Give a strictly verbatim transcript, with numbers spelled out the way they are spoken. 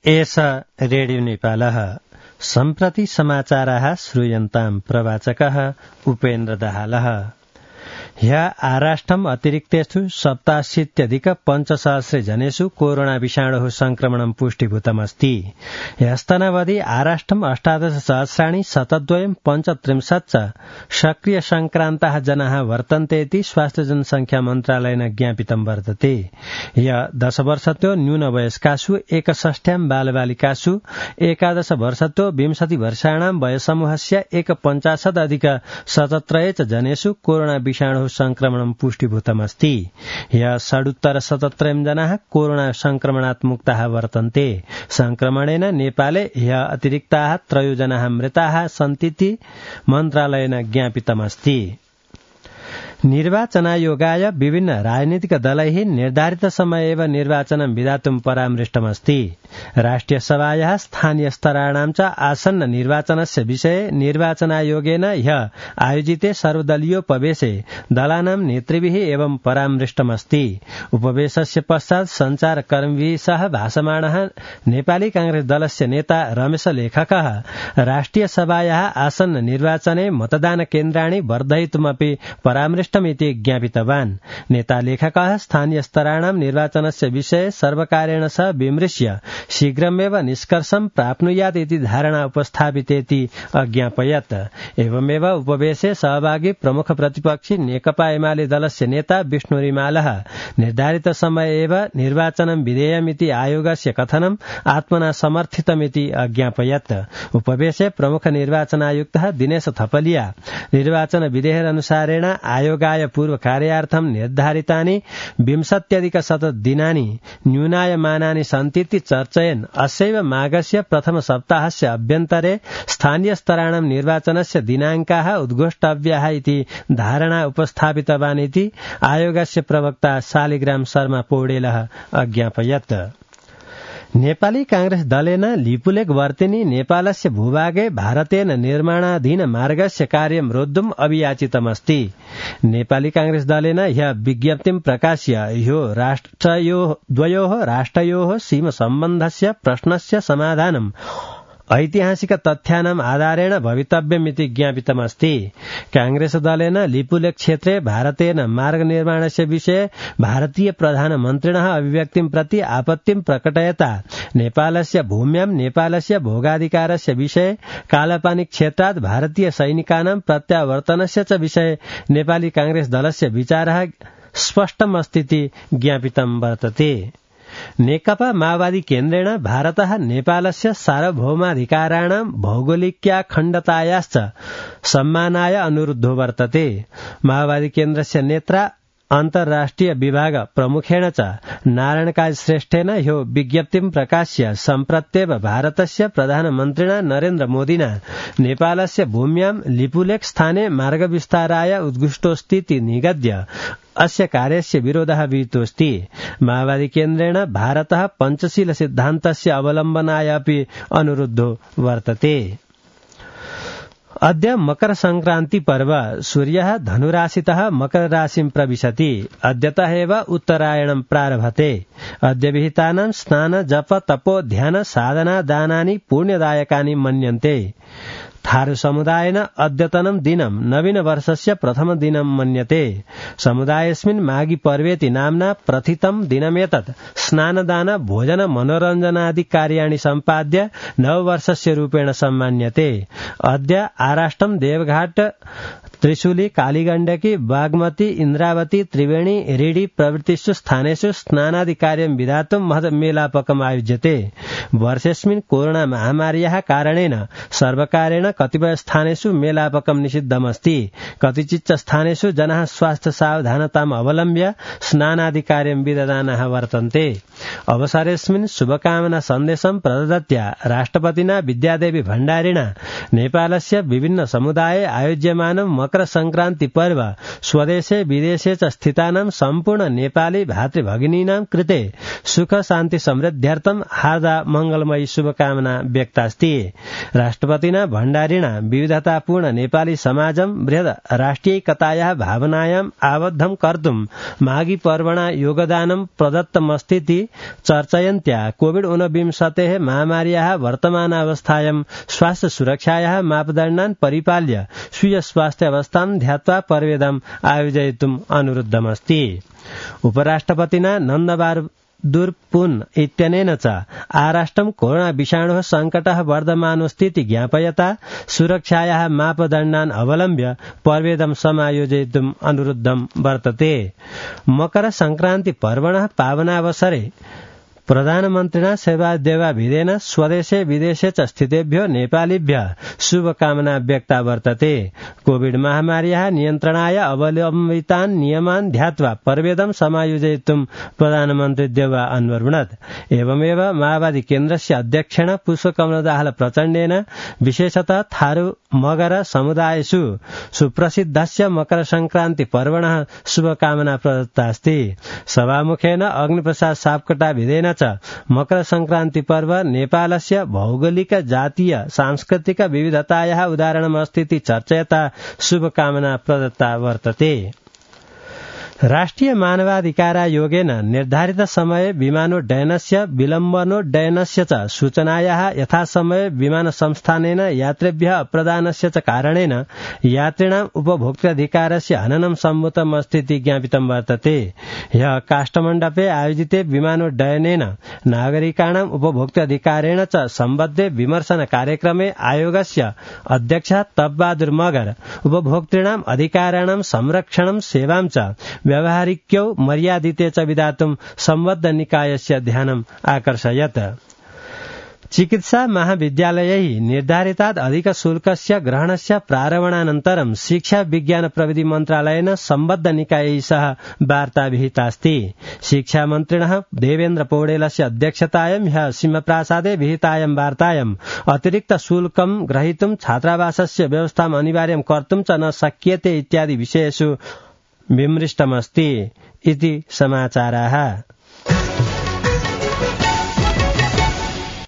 एष रेडियो नेपालः सम्प्रति समाचाराः श्रूयन्ताम् प्रवाचकः उपेन्द्र दाहालः। ह्य आराष्टम् अतिरिक्तेषु सप्ताशीत्यधिक पञ्चसहस्रे जनेषु कोरोना विषाणुः संक्रमणं पुष्टिभूतमस्ति। ह्यस्तनावधि आराष्टम् अष्टादश सहस्राणि शतद्वयम् पञ्चत्रिंशत् च सक्रिय संक्रान्ताः जनाः वर्तन्ते इति स्वास्थ्य जनसंख्या मन्त्रालयेन ज्ञापितं वर्तते। ह्य दश वर्षतो न्यूनवयस्कासु एकषष्ट्याम् बालबालिकासु एकादश वर्षतो विंशति वर्षाणां वयसमूहस्य एकपञ्चाशदधिक सतत्रय च जनेषु कोरोना विषाणुः संक्रमणं पुष्टिभूतमस्ति। ह्य षडुत्तर शतत्रयम् जनाः कोरोना संक्रमणात् मुक्ताः वर्तन्ते। संक्रमणेन नेपाले ह्य अतिरिक्ताः त्रयो जनाः मृताः सन्तीति मन्त्रालयेन ज्ञापितमस्ति। निर्वाचनायोगाय विभिन्न राजनीतिक दलैः निर्धारित समय एव निर्वाचनं विधातुं परामृष्टमस्ति। राष्ट्रिय सभायाः स्थानीय स्तराणां च आसन्न निर्वाचनस्य विषये निर्वाचनायोगेन ह्य आयोजिते सर्वदलीयोपवेशे दलानां नेतृभिः एवं परामृष्टमस्ति। उपवेशस्य पश्चात् सञ्चारकर्मिभिः सह भाषमाणः नेपाली कांग्रेस दलस्य नेता रमेश लेखकः राष्ट्रिय सभायाः आसन्न निर्वाचने मतदान केन्द्राणि वर्धयितुमपि परामृष्टमिति ज्ञापितवान्। नेता लेखकः स्थानीय स्तराणां निर्वाचनस्य विषये सर्वकारेण सह विमृश्य शीघ्रमेव निष्कर्षं प्राप्नुयात् इति धारणा उपस्थापितेति अज्ञापयत्। एवमेव उपवेशे सहभागी प्रमुख प्रतिपक्षी नेकपा एमाले दलस्य नेता विष्णु रिमालः निर्धारित समय एव निर्वाचनं विधेयमिति आयोगस्य कथनं आत्मना समर्थितमिति अज्ञापयत्। उपवेशे प्रमुख निर्वाचनायुक्तः दिनेश थपलिया निर्वाचन विधेयकनुसारेण आयोगाय पूर्व कार्यार्थं निर्धारितानि विंशत्यधिक शतदिनानि न्यूनायमानानि सन्तीति चर्चयन् अस्यैव माघस्य प्रथम सप्ताहस्य अभ्यन्तरे स्थानीय स्तराणां निर्वाचनस्य दिनाङ्काः उद्घोष्टव्याः इति धारणा उपस्थापितवान् इति आयोगस्य प्रवक्ता शालिग्राम शर्मा पौडेलः अज्ञापयत्। नेपाली कांग्रेस दलेन लिपुलेख वर्तिनी नेपालस्य भूभागे भारतेन निर्माणाधीन मार्गस्य कार्यं रोद्धुम् अभियाचितमस्ति। नेपाली कांग्रेस दलेन ह्य विज्ञप्तिं प्रकाश्य ह्यो राष्ट्रयोः द्वयोः राष्ट्रयोः सीम सम्बन्धस्य प्रश्नस्य समाधानम् ऐतिहासिक तथ्यानाम् आधारेण भवितव्यमिति ज्ञापितमस्ति। कांग्रेस दलेन लिपुलेख क्षेत्रे भारतेन मार्ग निर्माणस्य विषये भारतीय प्रधानमन्त्रिणः अभिव्यक्तिं प्रति आपत्तिं प्रकटयता नेपालस्य भूम्यां नेपालस्य भोगाधिकारस्य विषये कालापानी क्षेत्रात् भारतीय सैनिकानां प्रत्यावर्तनस्य च विषये नेपाली कांग्रेस दलस्य विचारः स्पष्टमस्तीति ज्ञापितं वर्तते। नेकपा माओवादी केन्द्रेण भारतः नेपालस्य सार्वभौमाधिकाराणां भौगोलिक्याखण्डतायाश्च सम्मानाय अनुरुद्धो वर्तते। माओवादी केन्द्रस्य नेत्रा अन्तर्राष्ट्रिय विभाग प्रमुखेण च नारायणकाज श्रेष्ठेन ह्यो विज्ञप्तिं प्रकाश्य सम्प्रत्येव भारतस्य प्रधानमन्त्रिणा नरेन्द्र मोदिना नेपालस्य भूम्यां लिपुलेख स्थाने मार्गविस्ताराय उद्घुष्टोऽस्तीति निगद्य अस्य कार्यस्य विरोधः विहितोऽस्ति। माओवादी केन्द्रेण भारतः पञ्चशील सिद्धान्तस्य अवलम्बनाय अपि अनुरुद्धो वर्तते। अद्य मकर संक्रान्ति पर्व सूर्यः धनुराशितः मकर राशिं प्रविशति। अद्यतः एव उत्तरायणं प्रारभते। अद्य विहितानां स्नान जप तपो ध्यान साधना दानानि पुण्यदायकानि मन्यन्ते। थारू समुदायेन अद्यतनं दिनं नवीन वर्षस्य प्रथम दिनं मन्यते। समुदायेऽस्मिन् माघी पर्वेति नाम्ना प्रथितं दिनमेतत् स्नानदान भोजन मनोरञ्जनादि कार्याणि सम्पाद्य नववर्षस्य रूपेण सम्मान्यते। अद्य आराष्टम देवघाट त्रिशूली कालीगण्डकी बागमती इन्द्रावती त्रिवेणी रेडी प्रभृतिषु स्थानेषु स्नानादि कार्यं विधातुं महत् मेलापकम् आयोज्यते। वर्षेऽस्मिन् कोरोना महामार्याः कारणेन सर्वकारेण कतिपय स्थानेषु मेलापकं निषिद्धमस्ति। कतिचित् स्थानेषु जनाः स्वास्थ्य सावधानताम् अवलम्ब्य स्नानादि कार्यं विदधानाः वर्तन्ते। अवसरेऽस्मिन् शुभकामना सन्देशं प्रदत्त्या राष्ट्रपतिना विद्यादेवी भण्डारिणा नेपालस्य विभिन्न समुदाये आयोज्यमानं मकर संक्रान्ति पर्व स्वदेशे विदेशे च स्थितानां सम्पूर्ण नेपाली भातृभगिनीनां कृते सुख शान्ति समृद्ध्यर्थं हार्दा मंगलमयी शुभकामना व्यक्तास्ति। राष्ट्रपतिना भण्डारिणा विविधतापूर्ण नेपाली समाजं बृहद राष्ट्रियैकतायाः भावनायाम् आबद्धं कर्तुं माघी पर्वणा योगदानं प्रदत्तमस्तीति चर्चयन्त्या कोविड ऊनविंशतेः महामार्याः वर्तमानावस्थायां स्वास्थ्य सुरक्षायाः मापदण्डान् परिपाल्य स्वीय स्वास्थ्य अवस्थां ध्यात्वा पर्वेदम् आयोजयितुम् अनुरुद्धमस्ति। उपराष्ट्रपतिना नन्दबारदुर इत्यनेन च आराष्ट्रं कोरोना विषाणोः सङ्कटः वर्धमानोऽस्तीति ज्ञापयता सुरक्षायाः मापदण्डान् अवलम्ब्य पर्वेदं समायोजयितुम् अनुरुद्धं वर्तते। मकर संक्रान्ति पर्वणः पावनावसरे प्रधानमन्त्रिणा सेवादेवाभिधेन स्वदेशे विदेशे च स्थितेभ्यो नेपालीभ्यः शुभकामना व्यक्ता वर्तते। कोविड महामार्याः नियन्त्रणाय अवलम्बितान् नियमान् ध्यात्वा पर्वेदं समायोजयितुं प्रधानमन्त्री देवा अन्वरुणत्। एवमेव माओवादी केन्द्रस्य अध्यक्षेण पुष्पकमलदाहाल प्रचण्डेन विशेषतः थारू मगर समुदायेषु सुप्रसिद्धस्य मकर संक्रान्ति पर्वणः शुभकामना प्रदत्तास्ति। सभामुखेन अग्निप्रसाद सापकोटाभिधेन मकर संक्रान्ति पर्व नेपालस्य भौगोलिक जातीय सांस्कृतिक विविधतायाः उदाहरणमस्तीति चर्चयता शुभकामना प्रदत्ता वर्तते। राष्ट्रिय मानवाधिकारायोगेन निर्धारित समय विमानोड्डयनस्य विलम्बनोड्डयनस्य च सूचनायाः यथासमये विमानसंस्थानेन यात्रिभ्यः अप्रदानस्य च कारणेन यात्रिणाम् उपभोक्ताधिकारस्य हननं सम्भूतमस्तीति ज्ञापितं वर्तते। ह्यः काष्ठमण्डपे आयोजिते विमानोड्डयनेन नागरिकाणाम् उपभोक्ताधिकारेण च सम्बद्धे विमर्शन कार्यक्रमे आयोगस्य अध्यक्षः तपबहादुर मगर उपभोक्तॄणाम् अधिकाराणां संरक्षणं सेवां च व्यावहारिक्यौ मर्यादिते च विधातुं सम्बद्ध निकायस्य ध्यानम् आकर्षयत्। चिकित्सा महाविद्यालयैः निर्धारितात् अधिकशुल्कस्य ग्रहणस्य प्रारम्भानन्तरं शिक्षा विज्ञान प्रविधि मन्त्रालयेन सम्बद्ध निकायैः सह वार्ता विहितास्ति। शिक्षामन्त्रिणः देवेन्द्र पौडेलस्य अध्यक्षतायां ह्यः सिंहप्रासादे विहितायां वार्तायाम् अतिरिक्त शुल्कं ग्रहीतुं छात्रावासस्य व्यवस्थाम् अनिवार्यं कर्तुं च न शक्यते इत्यादि विषयेषु विमृष्टमस्ति इति समाचाराः।